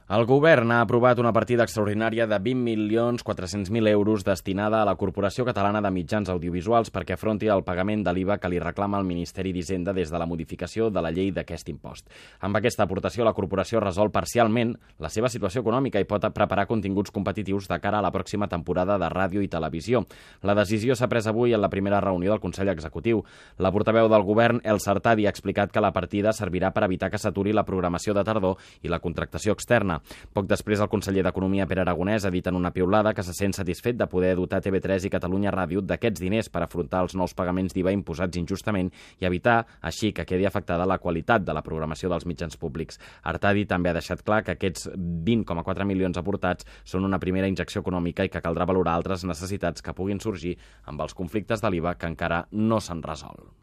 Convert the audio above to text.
El govern ha aprovat una partida extraordinària de 20.400.000 euros destinada a la Corporació Catalana de Mitjans Audiovisuals perquè afronti el pagament de l'IVA que li reclama el Ministeri d'Hisenda des de la modificació de la llei d'aquest impost. Amb aquesta aportació, la corporació resol parcialment la seva situació econòmica i pot preparar continguts competitius de cara a la pròxima temporada de ràdio i televisió. La decisió s'ha pres avui en la primera reunió del Consell Executiu. La portaveu del govern, Elsa Artadi, ha explicat que la partida servirà per evitar que s'aturi la programació de tardor i la contractació externa. Poc després, el conseller d'Economia, Pere Aragonès, ha dit en una piulada que se sent satisfet de poder dotar TV3 i Catalunya Ràdio d'aquests diners per afrontar els nous pagaments d'IVA imposats injustament i evitar, així, que quedi afectada la qualitat de la programació dels mitjans públics. Artadi també ha deixat clar que aquests 20,4 milions aportats són una primera injecció econòmica i que caldrà valorar altres necessitats que puguin sorgir amb els conflictes de l'IVA que encara no s'han resolt.